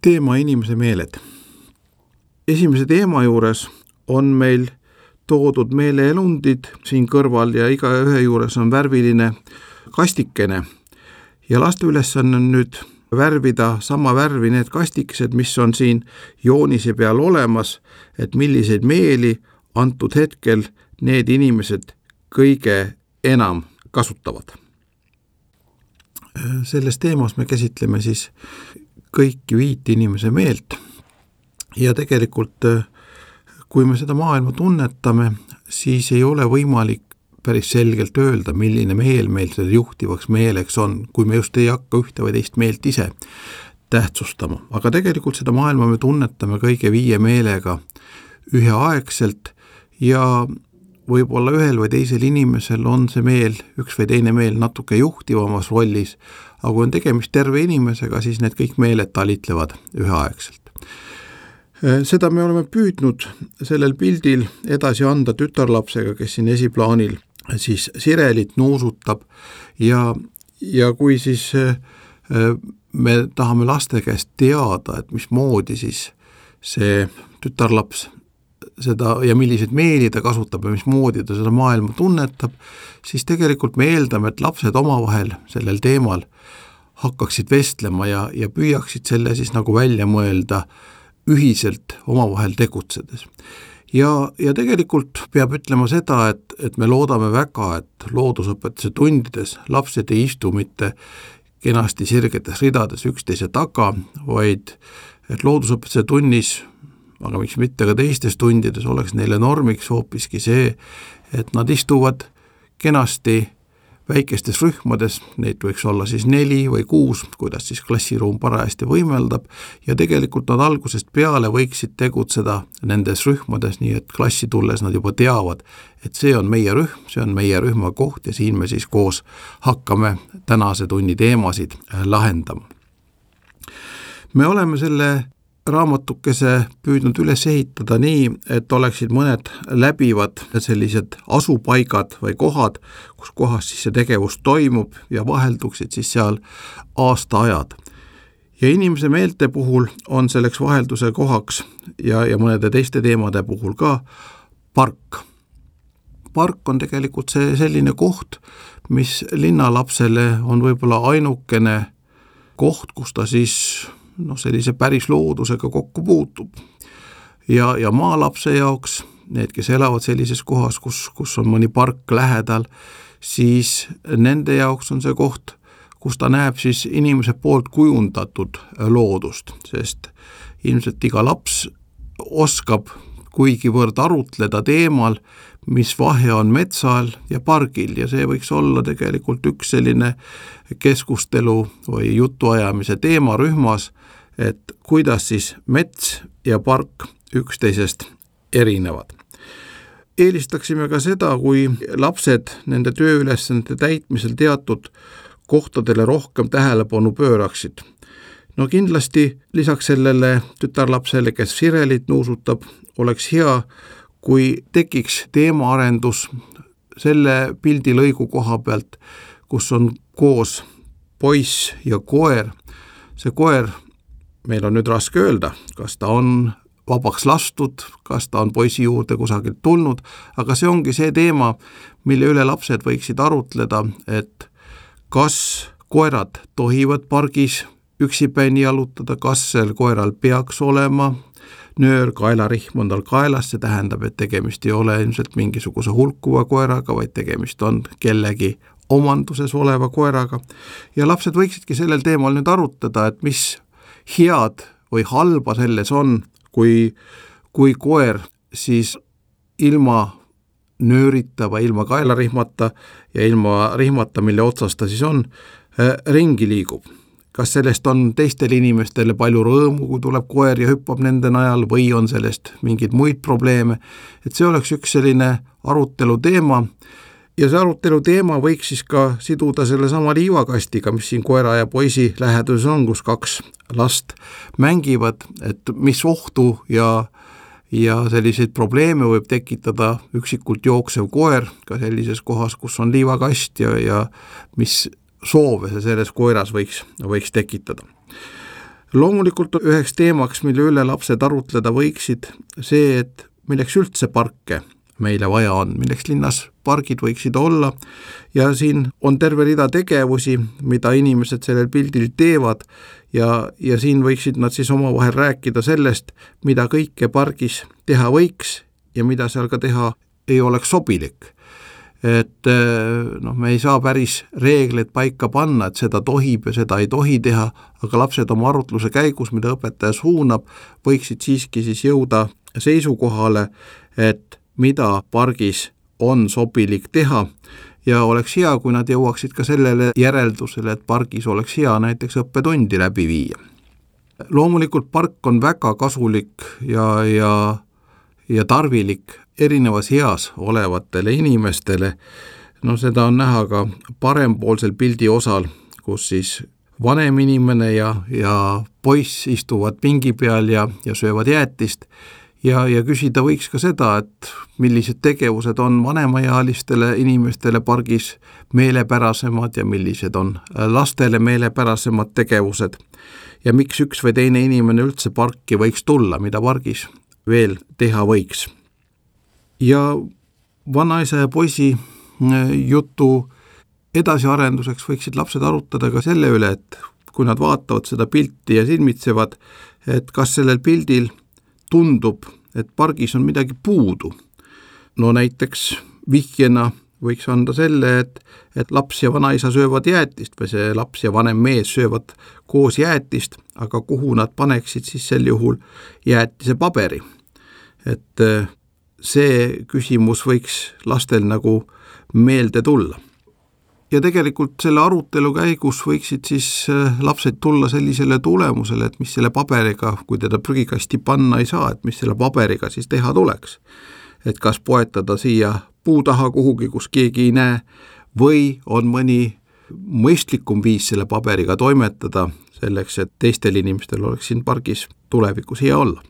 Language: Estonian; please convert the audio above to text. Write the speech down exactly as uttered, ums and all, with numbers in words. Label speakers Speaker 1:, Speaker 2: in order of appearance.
Speaker 1: Teema inimese meeled. Esimese teema juures on meil toodud meeleelundid siin kõrval ja iga ühe juures on värviline kastikene. Ja laste ülesanne on nüüd värvida sama värvi need kastikesed, mis on siin joonise peal olemas, et milliseid meeli antud hetkel need inimesed kõige enam kasutavad. Selles teemas me käsitleme siis kõiki viit inimese meelt ja tegelikult kui me seda maailma tunnetame, siis ei ole võimalik päris selgelt öelda, milline meel meil selle juhtivaks meeleks on, kui me just ei hakka ühte või teist meelt ise tähtsustama. Aga tegelikult seda maailma me tunnetame kõige viie meelega üheaegselt ja võib-olla ühel või teisel inimesel on see meel, üks või teine meel natuke juhtivamas rollis, aga kui on tegemist terve inimesega, siis need kõik meeled talitlevad üheaegselt. Seda me oleme püüdnud sellel pildil edasi anda tütarlapsega, kes siin esiplaanil siis sirelit nuusutab ja, ja kui siis me tahame laste käest teada, et mismoodi siis see tütarlaps seda ja milliseid meeli ta kasutab ja mismoodi ta seda maailma tunnetab, siis tegelikult me eeldame, et lapsed omavahel sellel teemal hakkaksid vestlema ja, ja püüaksid selle siis nagu välja mõelda ühiselt omavahel tegutsedes. Ja, ja tegelikult peab ütlema seda, et, et me loodame väga, et loodusõpetuse tundides lapsed ei istu mitte kenasti sirgetes ridades üksteise taga, vaid et loodusõpetuse tunnis, aga miks mitte ka teistes tundides oleks neile normiks hoopiski see, et nad istuvad kenasti väikestes rühmades, neid võiks olla siis neli või kuus, kuidas siis klassiruum parajasti võimeldab ja tegelikult nad algusest peale võiksid tegutseda nendes rühmades, nii et klassi tulles nad juba teavad, et see on meie rühm, see on meie rühma koht ja siin me siis koos hakkame tänase tunni teemasid lahendama. Me oleme selle raamatukese püüdnud üles ehitada nii, et oleksid mõned läbivad sellised asupaigad või kohad, kus kohas siis see tegevus toimub ja vahelduksid siis seal aastaajad. Ja inimese meelte puhul on selleks vahelduse kohaks ja, ja mõnede teiste teemade puhul ka park. Park on tegelikult see selline koht, mis linnalapsele on võib-olla ainukene koht, kus ta siis no sellise päris loodusega kokku puutub. Ja, ja maalapse jaoks, need, kes elavad sellises kohas, kus, kus on mõni park lähedal, siis nende jaoks on see koht, kus ta näeb siis inimese poolt kujundatud loodust, sest ilmselt iga laps oskab kuigivõrd arutleda teemal, mis vahe on metsal ja pargil ja see võiks olla tegelikult üks selline keskustelu või jutuajamise teema rühmas, et kuidas siis mets ja park üksteisest erinevad. Eelistaksime ka seda, kui lapsed nende tööülesannete täitmisel teatud kohtadele rohkem tähelepanu pööraksid. No kindlasti lisaks sellele tütarlapsele, kes sirelit nuusutab, oleks hea, kui tekiks teemaarendus selle pildilõigu koha pealt, kus on koos poiss ja koer. See koer, meil on nüüd raske öelda, kas ta on vabaks lastud, kas ta on poisi juurde kusagilt tulnud, aga see ongi see teema, mille üle lapsed võiksid arutleda, et kas koerad tohivad pargis üksipäini jalutada, kas sel koeral peaks olema nöör, kaelarihm on tal kaelas, see tähendab, et tegemist ei ole ilmselt mingisuguse hulkuva koeraga, vaid tegemist on kellegi omanduses oleva koeraga. Ja lapsed võiksidki sellel teemal nüüd arutada, et mis head või halba selles on, kui, kui koer siis ilma nöörita või ilma kaelarihmata ja ilma rihmata, mille otsas ta siis on, ringi liigub. Kas sellest on teistele inimestele palju rõõmu, kui tuleb koer ja hüppab nende najal või on sellest mingid muid probleeme, et see oleks üks selline arutelu teema ja see arutelu teema võiks siis ka siduda selle sama liivakastiga, mis siin koera ja poisi läheduses on, kus kaks last mängivad, et mis ohtu ja, ja selliseid probleeme võib tekitada üksikult jooksev koer ka sellises kohas, kus on liivakast ja, ja mis soove see selles koeras võiks, võiks tekitada. loomulikult üheks teemaks, mille üle lapsed arutleda võiksid, see, et milleks üldse parke meile vaja on, milleks linnas pargid võiksid olla ja siin on terve rida tegevusi, mida inimesed sellel pildil teevad ja, ja siin võiksid nad siis omavahel rääkida sellest, mida kõike pargis teha võiks ja mida seal ka teha ei oleks sobilik. Et noh, me ei saa päris reegleid paika panna, et seda tohib ja seda ei tohi teha, aga lapsed oma arutluse käigus, mida õpetaja suunab, võiksid siiski siis jõuda seisukohale, et mida pargis on sobilik teha ja oleks hea, kui nad jõuaksid ka sellele järeldusele, et pargis oleks hea näiteks õppetundi läbi viia. Loomulikult park on väga kasulik ja, ja, ja tarvilik erinevas eas olevatele inimestele. No seda on näha ka parempoolsel pildi osal, kus siis vanem inimene ja, ja poiss istuvad pingi peal ja, ja söövad jäätist. Ja, ja küsida võiks ka seda, et millised tegevused on vanemaealistele inimestele pargis meelepärasemad ja millised on lastele meelepärasemad tegevused ja miks üks või teine inimene üldse parki võiks tulla, mida pargis veel teha võiks. Ja vanaisa ja poisi jutu edasiarenduseks võiksid lapsed arutada ka selle üle, et kui nad vaatavad seda pilti ja silmitsevad, et kas sellel pildil tundub, et pargis on midagi puudu. No näiteks vihjena võiks anda selle, et, et laps ja vanaisa söövad jäätist või see laps ja vanem mees söövad koos jäätist, aga kuhu nad paneksid siis sel juhul jäätise paberi. Et see küsimus võiks lastel nagu meelde tulla. Ja tegelikult selle arutelu käigus võiksid siis lapsed tulla sellisele tulemusele, et mis selle paberiga, kui teda prügikasti panna ei saa, et mis selle paberiga siis teha tuleks. Et kas poetada siia puu taha kuhugi, kus keegi ei näe, või on mõni mõistlikum viis selle paberiga toimetada selleks, et teistel inimestel oleks siin pargis tulevikus hea olla.